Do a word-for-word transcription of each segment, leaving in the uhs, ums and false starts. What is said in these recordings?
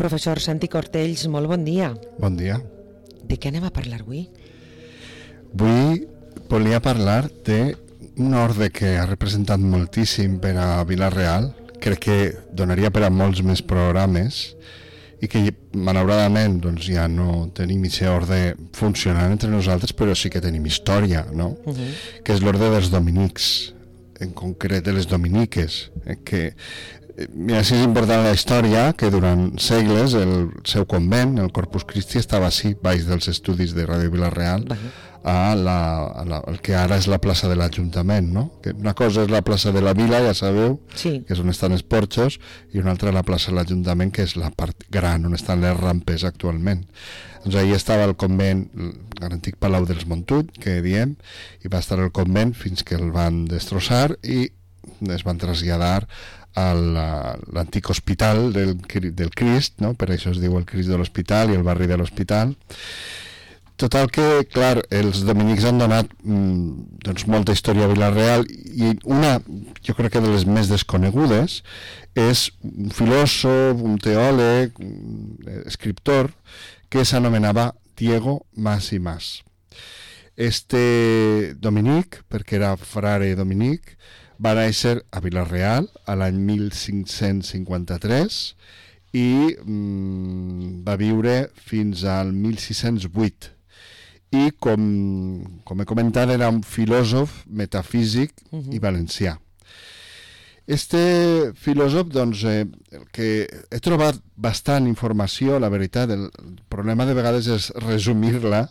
Professor Santi Cortells, molt bon dia. Bon dia. De què anem a parlar avui? Avui volia parlar d'un orde que ha representat moltíssim per a Vila-real. Crec que donaria per a molts més programes i que malauradament doncs, ja no tenim aquest orde funcionant entre nosaltres, però sí que tenim història, no? Uh-huh. Que és l'orde dels dominics, en concret de les dominiques, eh, que mira, si és important la història, que durant segles el seu convent, el Corpus Christi, estava així, baix dels estudis de Ràdio Vila-real, a la, a la, el que ara és la plaça de l'Ajuntament, no? Que una cosa és la plaça de la Vila, ja sabeu, sí, que és on estan els porxos, i una altra la plaça de l'Ajuntament, que és la part gran, on estan les rampes actualment. Doncs ahir estava el convent, l'antic Palau dels Montull, que diem, i va estar el convent fins que el van destrossar i es van traslladar a l'antic hospital del, del Crist, no? Per això es diu el Crist de l'Hospital i el barri de l'Hospital. Total que, clar, els dominics han donat mmm, doncs, molta història a Vila-real i una, jo crec que de les més desconegudes, és un filòsof, un teòleg, un escriptor, que s'anomenava Diego Mas i Mas. Este dominic, perquè era frare dominic, va néixer a Vila-real a l'any mil cinc-cents cinquanta-tres i mm, va viure fins al mil sis-cents vuit. I, com, com he comentat, era un filòsof metafísic uh-huh. i valencià. Este filòsof, doncs, eh, que he trobat bastant informació, la veritat, el problema de vegades és resumir-la.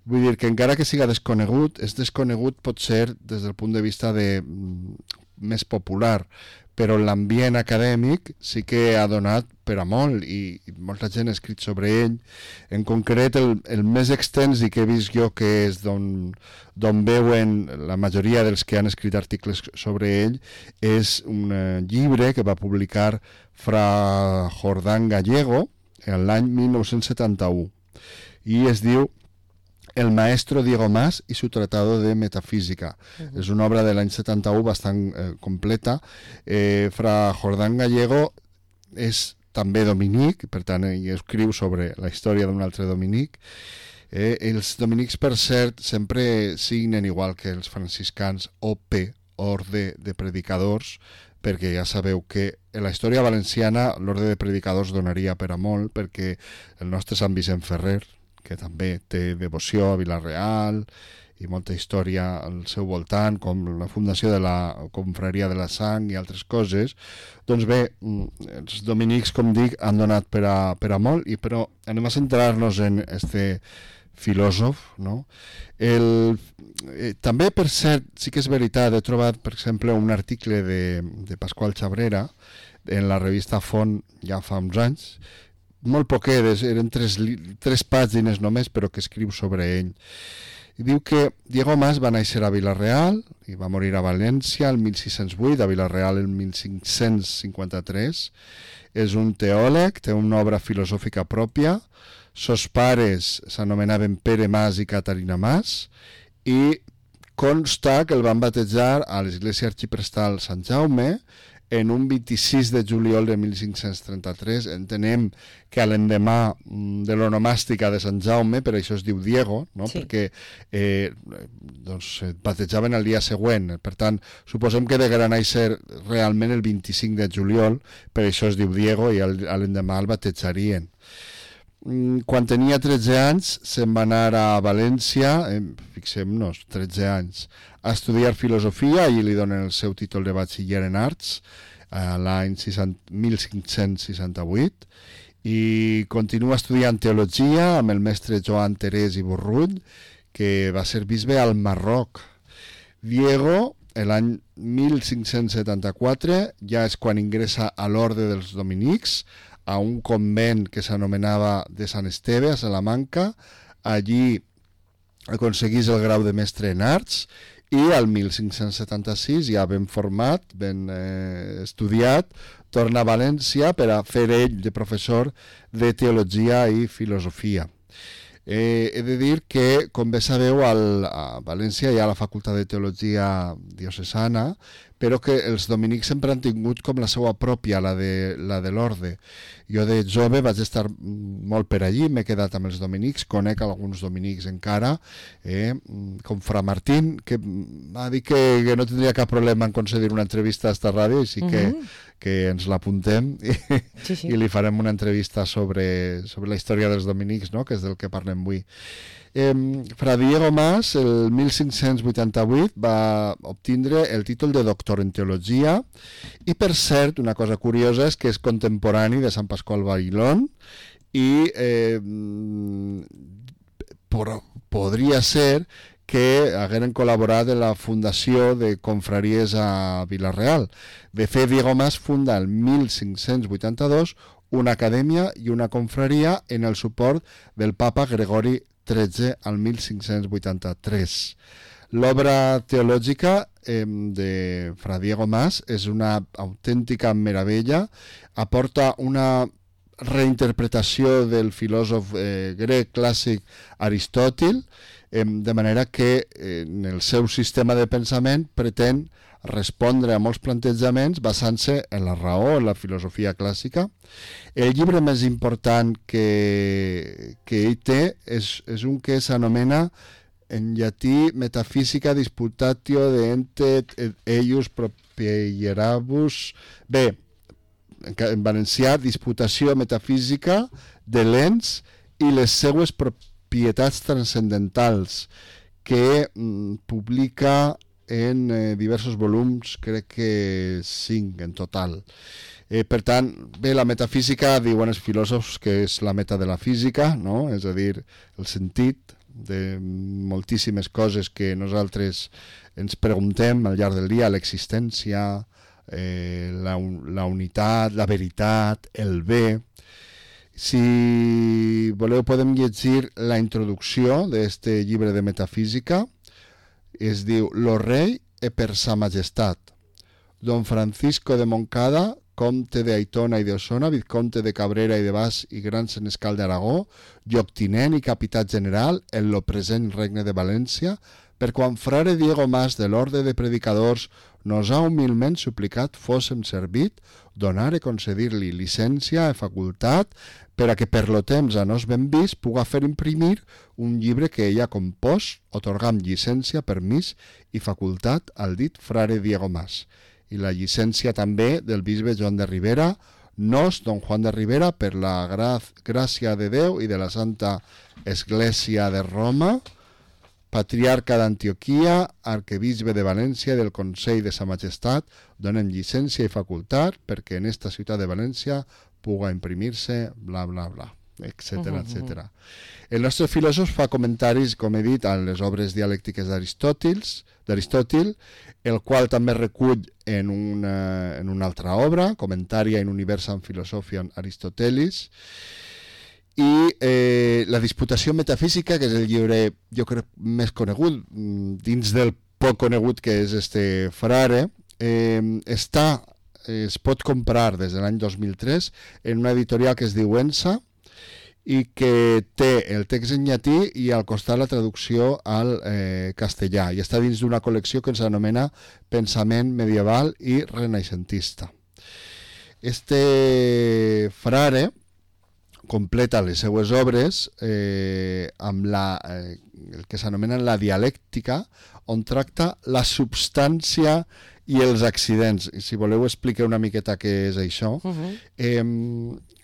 Vull dir que encara que siga desconegut, és desconegut pot ser des del punt de vista de, més popular, però l'ambient acadèmic sí que ha donat per a molt i, i molta gent ha escrit sobre ell. En concret, el, el més extens i que he vist jo que és d'on d'on veuen la majoria dels que han escrit articles sobre ell és un uh, llibre que va publicar Fra Jordán Gallego l'any mil nou-cents setanta-u i es diu El maestro Diego Mas y su tratado de metafísica. Uh-huh. És una obra de l'any setanta-u bastant eh, completa. Eh, Fra Jordán Gallego és també dominic, per tant, ell escriu sobre la història d'un altre dominic. Eh, els dominics, per cert, sempre signen igual que els franciscans O P, Orde de Predicadors, perquè ja sabeu que en la història valenciana l'Orde de Predicadors donaria per a molt, perquè el nostre Sant Vicent Ferrer, que també té devoció a Vila-real i molta història al seu voltant, com la fundació de la Confraria de la Sang i altres coses, doncs bé, els dominics, com dic, han donat per a, per a molt, i però anem a centrar-nos en este filòsof, no? El, eh, també, per cert, sí que és veritat, he trobat, per exemple, un article de, de Pasqual Chabrera en la revista Font ja fa uns anys, molt poquedes, eren tres, tres pàgines només, però que escriu sobre ell. I diu que Diego Mas va néixer a Vila-real i va morir a València el mil sis-cents vuit, a Vila-real el mil cinc-cents cinquanta-tres. És un teòleg, té una obra filosòfica pròpia. Sos pares s'anomenaven Pere Mas i Caterina Mas i consta que el van batejar a l'església arxiprestal Sant Jaume en un vint-i-sis de juliol de mil cinc-cents trenta-tres. Entenem que a l'endemà de l'onomàstica de Sant Jaume, per això es diu Diego, no? Sí. Perquè eh, doncs, et batejaven el dia següent. Per tant, suposem que degueren néixer realment el vint-i-cinc de juliol, per això es diu Diego, i a l'endemà el batejarien. Quan tenia tretze anys se'n va anar a València, eh, fixem-nos, tretze anys, a estudiar filosofia, i li donen el seu títol de batxiller en arts a l'any mil cinc-cents seixanta-vuit, i continua estudiant teologia amb el mestre Joan Terès i Burrull, que va ser bisbe al Marroc. Diego, l'any mil cinc-cents setanta-quatre, ja és quan ingressa a l'Orde dels Dominics, a un convent que s'anomenava de Sant Esteve, a Salamanca. Allí aconseguís el grau de mestre en arts i al mil cinc-cents setanta-sis, ja ben format, ben eh, estudiat, torna a València per a fer ell de professor de teologia i filosofia. Eh, he de dir que, com bé sabeu, al, a València hi ha la Facultat de Teologia Diocesana, però que els dominics sempre han tingut com la seva pròpia, la de, la de l'orde. Jo de jove vaig estar molt per allí, m'he quedat amb els dominics, conec alguns dominics encara, eh, com Fra Martín, que m'ha dit que, que no tindria cap problema en concedir una entrevista a esta ràdio, així que, uh-huh. que ens l'apuntem i, sí, sí. i li farem una entrevista sobre, sobre la història dels dominics, no?, que és del que parlem avui. Eh, Fra Diego Mas, el mil cinc-cents vuitanta-vuit, va obtindre el títol de doctor en teologia i, per cert, una cosa curiosa és que és contemporani de Sant Pasqual Bailón i eh, por, podria ser que hagueren col·laborat en la fundació de confraries a Vila-real. De fet, Diego Mas funda el mil cinc-cents vuitanta-dos una acadèmia i una confraria en el suport del papa Gregori tretze al mil cinc-cents vuitanta-tres. L'obra teològica eh, de Fra Diego Mas és una autèntica meravella, aporta una reinterpretació del filòsof eh, grec clàssic Aristòtil, eh, de manera que eh, en el seu sistema de pensament pretén respondre a molts plantejaments basant-se en la raó, en la filosofia clàssica. El llibre més important que, que ell té és, és un que s'anomena en llatí Metafísica Disputatio de Ente Eius Propierabus. Bé, en valencià, Disputació metafísica de l'ens i les seues propietats transcendentals, que mm, publica en eh, diversos volums, crec que cinc en total. Eh, per tant, bé, la metafísica, diuen els filòsofs que és la meta de la física, no? És a dir, el sentit de moltíssimes coses que nosaltres ens preguntem al llarg del dia, l'existència, eh, la, la unitat, la veritat, el bé. Si voleu podem llegir la introducció d'aquest llibre de metafísica. Es diu Lo rei e per sa majestat. Don Francisco de Moncada, comte de Aitona i de Osona, vizconte de Cabrera i de Bas i gran senescal d'Aragó, lloctinent i capità general en lo present regne de València, per quan frare Diego Mas de l'orde de predicadors nos ha humilment suplicat fóssem servit, donar e concedir-li llicència e facultat per a que per lo temps a nos ben vist puga fer imprimir un llibre que ella compós, otorgant llicència, permís i facultat al dit frare Diego Mas. I la llicència també del bisbe Joan de Ribera, nos, don Juan de Ribera, per la gra gràcia de Déu i de la Santa Església de Roma, patriarca d'Antioquia, arquebisbe de València i del Consell de Sa Majestat, donen llicència i facultat perquè en esta ciutat de València puga imprimir-se, bla, bla, bla, etcètera, etcètera. El nostre filòsof fa comentaris, com he dit, a les obres dialèctiques d'Aristòtil, el qual també recull en una, en una altra obra, Commentaria in Universam Philosophiam Aristotelis, i eh, la disputació metafísica, que és el llibre, jo crec, més conegut, dins del poc conegut que és este frare, eh, està, es pot comprar des de l'any dos mil tres en una editorial que es diu Ensa i que té el text en llatí i al costat la traducció al eh, castellà, i està dins d'una col·lecció que s'anomena Pensament medieval i renaixentista. Este frare completa les seues obres eh, amb la, eh, el que s'anomena la dialèctica, on tracta la substància i els accidents. Si voleu explicar una miqueta què és això. Uh-huh. eh,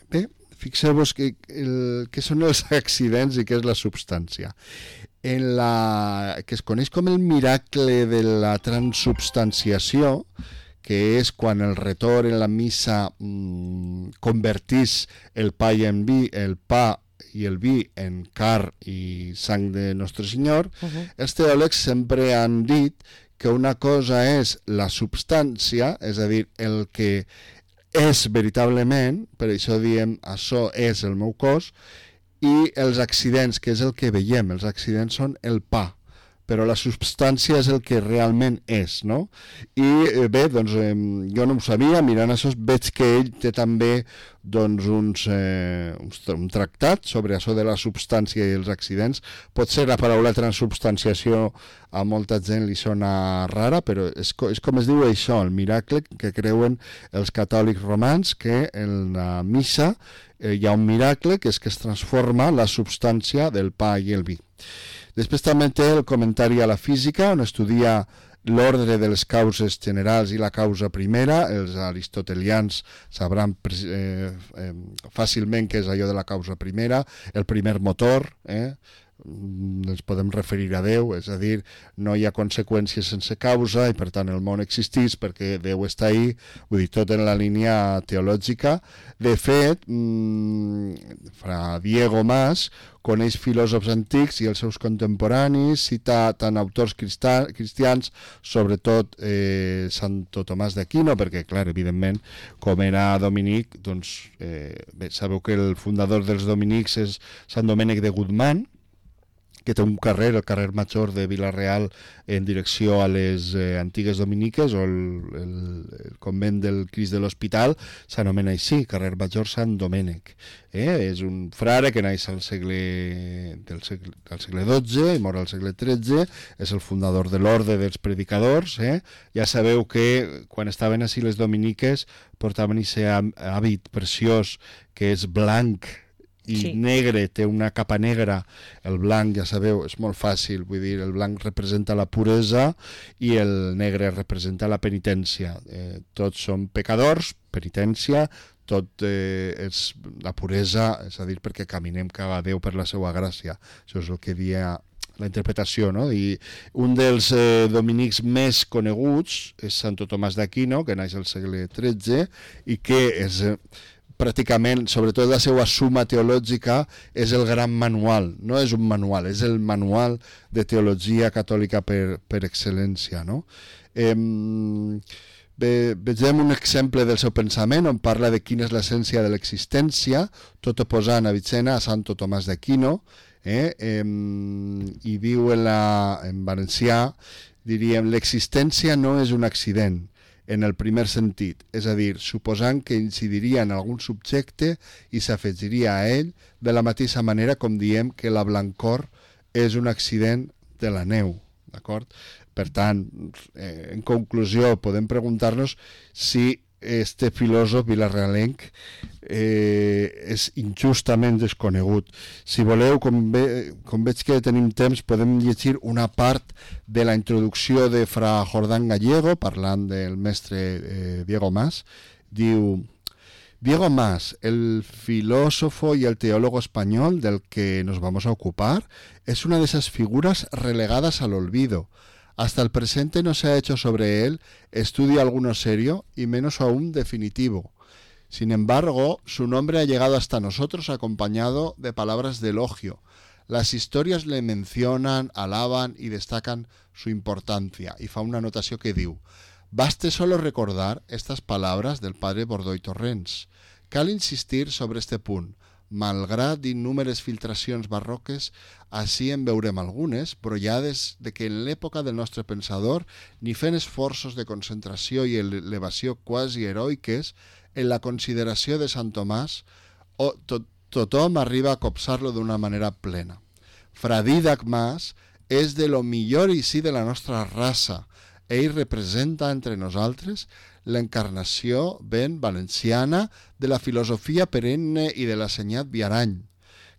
bé, fixeu-vos que, el, què són els accidents i què és la substància. En la, que es coneix com el miracle de la transubstanciació, que és quan el retor en la missa mmm, convertís el pa i en vi, el pa i el vi en car i sang de Nostre Senyor, uh-huh. Els teòlegs sempre han dit que una cosa és la substància, és a dir, el que és veritablement, per això diem això és el meu cos, i els accidents, que és el que veiem. Els accidents són el pa, però la substància és el que realment és, no? I eh, bé, doncs eh, jo no ho sabia, mirant això veig que ell té també doncs uns, eh, uns, un tractat sobre això de la substància i els accidents. Potser la paraula transubstanciació a molta gent li sona rara, però és, és com es diu això, el miracle que creuen els catòlics romans, que en la missa eh, hi ha un miracle que és que es transforma la substància del pa i el vi. Després també té el comentari a la física, on estudia l'ordre de les causes generals i la causa primera. Els aristotelians sabran eh, eh, fàcilment què és allò de la causa primera, el primer motor, eh? ens podem referir a Déu, és a dir, no hi ha conseqüències sense causa i per tant el món existeix perquè Déu està ahí, vull dir, tot en la línia teològica. De fet, mmm, fra Diego Mas coneix filòsofs antics i els seus contemporanis, cita tant autors cristians, sobretot eh, Santo Tomàs d'Aquino, perquè, clar, evidentment, com era dominic, doncs, eh, bé, sabeu que el fundador dels dominics és Sant Domènec de Guzmán, que té un carrer, el carrer Major de Vila-real, en direcció a les eh, antigues dominiques, o el, el, el convent del Crist de l'Hospital, s'anomena així, carrer Major Sant Domènec. Eh? És un frare que naix al segle, del segle, del segle dotze i mor al segle tretze, és el fundador de l'Orde dels Predicadors. Eh? Ja sabeu que quan estaven així les dominiques portaven aquest hàbit preciós que és blanc i sí. negre, té una capa negra. El blanc, ja sabeu, és molt fàcil, vull dir, el blanc representa la puresa i el negre representa la penitència. Eh, tots som pecadors, penitència, tot eh, és la puresa, és a dir, perquè caminem cap a Déu per la seva gràcia. Això és el que dia la interpretació, no? I un dels eh, dominics més coneguts és Santo Tomàs d'Aquino, que naix al segle tretze i que és Eh, pràcticament, sobretot la seva suma teològica, és el gran manual. No és un manual, és el manual de teologia catòlica per, per excel·lència, no? Eh, ve, vegem un exemple del seu pensament on parla de quina és l'essència de l'existència, tot oposant a Avicena a Santo Tomàs d'Aquino, eh? Eh, i diu en, la, en valencià, diríem, l'existència no és un accident, en el primer sentit, és a dir, suposant que incidiria en algun subjecte i s'afegiria a ell de la mateixa manera com diem que la blancor és un accident de la neu, d'acord? Per tant, eh, en conclusió, podem preguntar-nos si este filòsof vilarealenc eh, és injustament desconegut. Si voleu, com, ve, com veig que tenim temps, podem llegir una part de la introducció de Fra Jordán Gallego, parlant del mestre eh, Diego Mas. Diu: Diego Mas, el filósofo y el teólogo español del que nos vamos a ocupar, es una de esas figuras relegadas al olvido. Hasta el presente no se ha hecho sobre él estudio alguno serio y menos aún definitivo. Sin embargo, su nombre ha llegado hasta nosotros acompañado de palabras de elogio. Las historias le mencionan, alaban y destacan su importancia. Y fa una anotació que diu: baste solo recordar estas palabras del padre Bordoy Torrents. Cal insistir sobre este punt. Malgrat innúmeres filtracions barroques, així en veurem algunes, brollades de que en l'època del nostre pensador, ni fent esforços de concentració i elevació quasi heroiques, en la consideració de Sant Tomàs, o to tothom arriba a copsar-lo d'una manera plena. Fra Dídac Mas és de lo millor i sí de la nostra raça. Ell representa entre nosaltres l'encarnació ben valenciana de la filosofia perenne i de l'assenyat Viarany.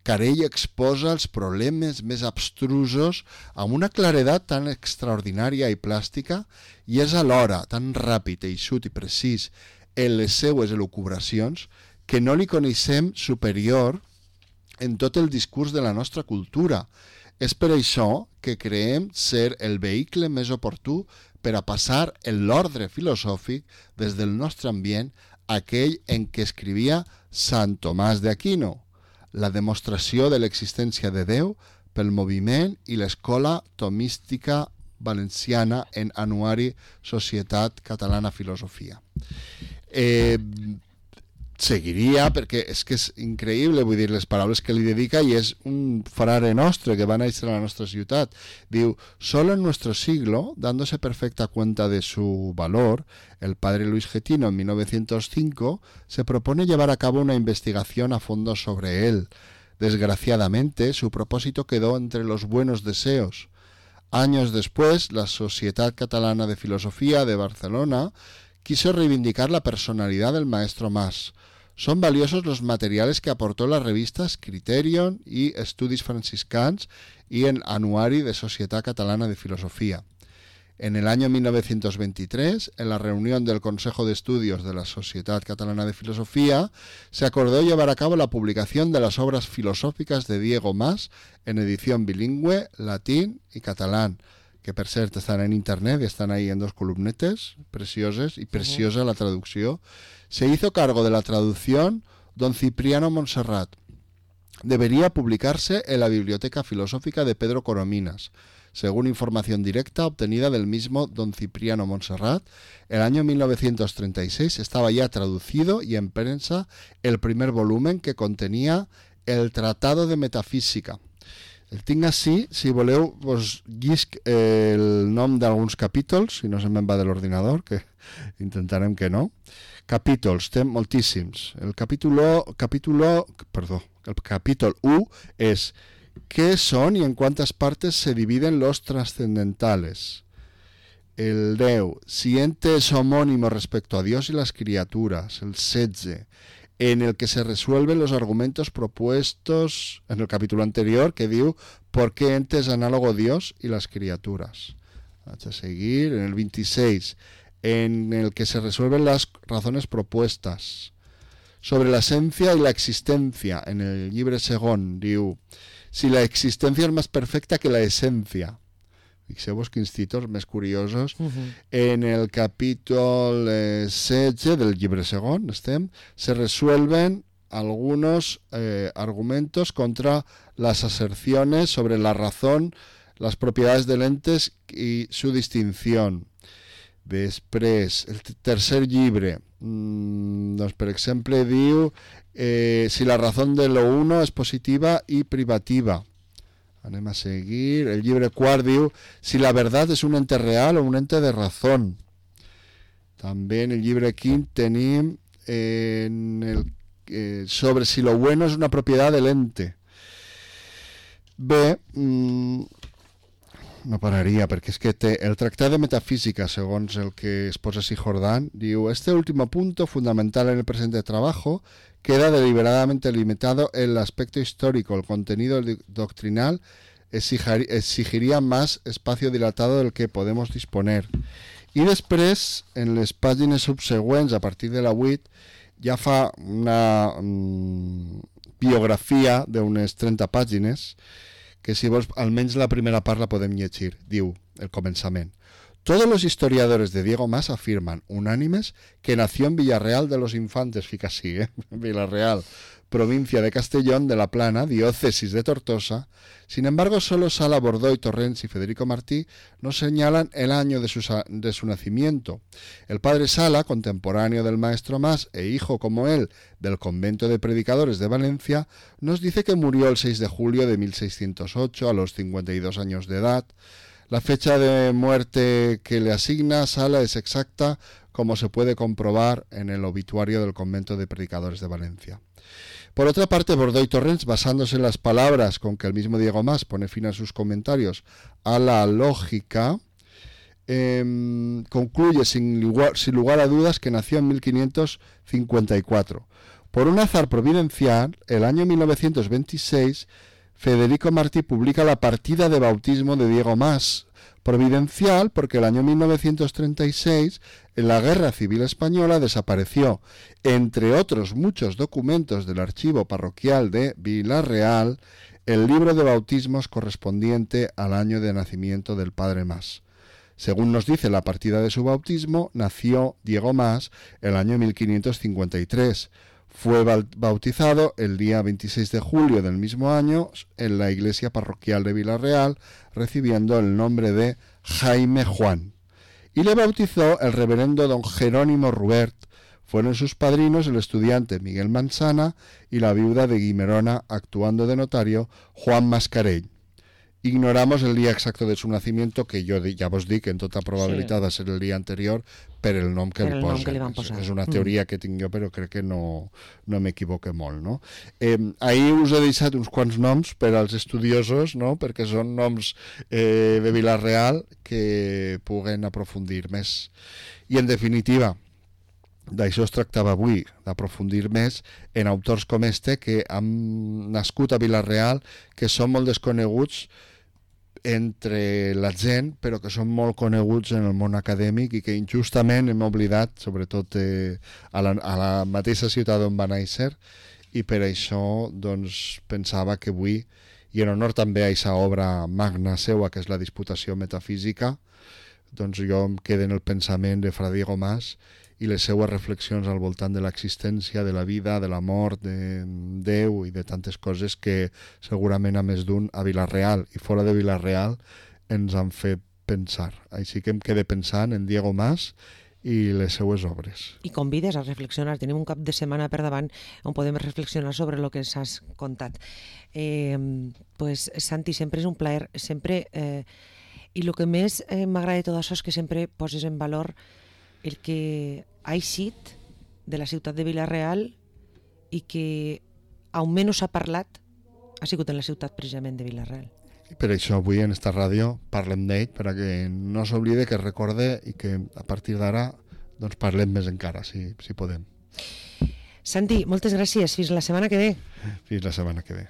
Car ell exposa els problemes més abstrusos amb una claredat tan extraordinària i plàstica i és alhora tan ràpid, eixut i precís en les seues elucubracions que no li coneixem superior en tot el discurs de la nostra cultura. És per això que creiem ser el vehicle més oportú per a passar en l'ordre filosòfic des del nostre ambient aquell en què escrivia Sant Tomàs d'Aquino, la demostració de l'existència de Déu pel moviment i l'escola tomística valenciana en Anuari Societat Catalana Filosofia. Eh, seguiria, perquè és que és increïble, vull dir, les paraules que li dedica, i és un frare nostre que va néixer a la nostra ciutat. Diu, solo en nuestro siglo, dándose perfecta cuenta de su valor, el padre Luis Getino en mil novecientos cinco se propone llevar a cabo una investigación a fondo sobre él. Desgraciadamente, su propósito quedó entre los buenos deseos. Años después, la Societat Catalana de Filosofía de Barcelona quiso reivindicar la personalidad del maestro Mas. Son valiosos los materiales que aportó las revistas Criterion y Estudis Franciscans y el Anuari de Societat Catalana de Filosofía. En el año mil novecientos veintitrés, en la reunión del Consejo de Estudios de la Societat Catalana de Filosofía, se acordó llevar a cabo la publicación de las obras filosóficas de Diego Mas en edición bilingüe, latín y catalán, que per cert estan en internet y están ahí en dos columnetes precioses y preciosa la traducción. Se hizo cargo de la traducción don Cipriano Montserrat. Debería publicarse en la Biblioteca Filosófica de Pedro Corominas. Según información directa obtenida del mismo don Cipriano Montserrat, el año mil novecientos treinta y seis estaba ya traducido y en prensa el primer volumen, que contenía el Tratado de Metafísica. El tinc així, si voleu, vos llisc el nom d'alguns capítols, si no se me'n va de l'ordinador, que intentarem que no. Capítols, té moltíssims. El capítulo, capítulo, perdó, el capítol u és ¿qué son y en cuántas partes se dividen los trascendentales? El deu, si entes homónimos respecto a Dios y las criaturas. El setze, en el que se resuelven los argumentos propuestos en el capítulo anterior, que diu ¿por qué entes análogo Dios y las criaturas? Vaig a seguir. En el veintiséis, en el que se resuelven las razones propuestas. Sobre la esencia y la existencia, en el llibre segon, diu si la existencia es más perfecta que la esencia. Fixeu-vos quins títols més curiosos. Uh-huh. En el capítol eh, setze del llibre segon, estem, se resuelven algunos eh, argumentos contra las aserciones sobre la razón, las propiedades de entes y su distinción. Després, el tercer llibre, mmm, doncs, per exemple, diu eh, si la razón de lo uno es positiva y privativa. Anem a seguir. El llibre quart diu si la verdad es un ente real o un ente de razón. També en el llibre quint tenim eh, en el, eh, sobre si lo bueno es una propiedad del ente. Bé, mmm, no pararia, perquè és que té el Tractat de Metafísica, segons el que exposa así Jordán, diu, este último punto, fundamental en el presente trabajo, queda deliberadamente limitado en el aspecto histórico. El contenido doctrinal exigiría más espacio dilatado del que podemos disponer. I després, en les pàgines subsegüents, a partir de la vuit, ja fa una mm, biografia d'unes trenta pàgines, que si vols, almenys la primera part la podem llegir. Diu, el començament. Todos los historiadores de Diego Mas afirman, unánimes, que nació en Villarreal de los Infantes, fica así, ¿eh? Villarreal, provincia de Castellón de la Plana, diócesis de Tortosa. Sin embargo, solo Sala Bordoy Torrents y Federico Martí nos señalan el año de su, de su nacimiento. El padre Sala, contemporáneo del maestro Mas e hijo como él del convento de predicadores de Valencia, nos dice que murió el seis de julio de mil seiscientos ocho a los cincuenta y dos años de edad. La fecha de muerte que le asigna Sala es exacta, como se puede comprobar en el obituario del convento de predicadores de Valencia. Por otra parte, Bordoy Torrents, basándose en las palabras con que el mismo Diego Mas pone fin a sus comentarios a la lógica, eh, concluye sin lugar, sin lugar a dudas que nació en mil quinientos cincuenta y cuatro. Por un azar providencial, el año mil novecientos veintiséis, Federico Martí publica la partida de bautismo de Diego Mas. Providencial porque el año mil novecientos treinta y seis, en la Guerra Civil Española, desapareció, entre otros muchos documentos del archivo parroquial de Villarreal, el libro de bautismos correspondiente al año de nacimiento del padre Mas. Según nos dice la partida de su bautismo, nació Diego Mas el año mil quinientos cincuenta y tres. Fue bautizado el día veintiséis de julio del mismo año en la iglesia parroquial de Villarreal, recibiendo el nombre de Jaime Juan. Y le bautizó el reverendo don Jerónimo Rubert, Fueron sus padrinos el estudiante Miguel Manzana y la viuda de Guimerona, actuando de notario, Juan Mascarell. Ignoramos el día exacto de su nacimiento, que jo ja vos dic que en tota probabilitat sí. va ser el dia anterior per el nom que per li el nom posen. que li van posar. És una teoria mm. que tinc jo, però crec que no, no m'equivoque molt. No? Eh, ahir us he deixat uns quants noms per als estudiosos, no? Perquè són noms eh, de Vila-real que puguen aprofundir més. I en definitiva, d'això es tractava avui, d'aprofundir més en autors com este que han nascut a Vila-real, que són molt desconeguts entre la gent, però que són molt coneguts en el món acadèmic i que injustament hem oblidat, sobretot eh, a, la, a la mateixa ciutat on va néixer, i per això doncs, pensava que avui, i en honor també a aquesta obra magna seua, que és la Disputació Metafísica, doncs jo em quedo en el pensament de Fra Diego Mas i les seues reflexions al voltant de l'existència, de la vida, de la mort, de Déu i de tantes coses que segurament a més d'un a Vila-real i fora de Vila-real ens han fet pensar. Així que em quedé pensant en Diego Mas i les seues obres. I convides a reflexionar. Tenim un cap de setmana per davant on podem reflexionar sobre el que ens has contat. Eh, pues, Santi, sempre és un plaer. Sempre, eh, i el que més eh, m'agrada de tot això és que sempre poses en valor el que ha eixit de la ciutat de Vila-real i que almenys s'ha parlat ha sigut en la ciutat precisament de Vila-real. I per això avui en esta ràdio parlem d'ell, perquè no s'oblide, que es recorde i que a partir d'ara doncs parlem més encara, si, si podem. Santi, moltes gràcies. Fins la setmana que ve. Fins la setmana que ve.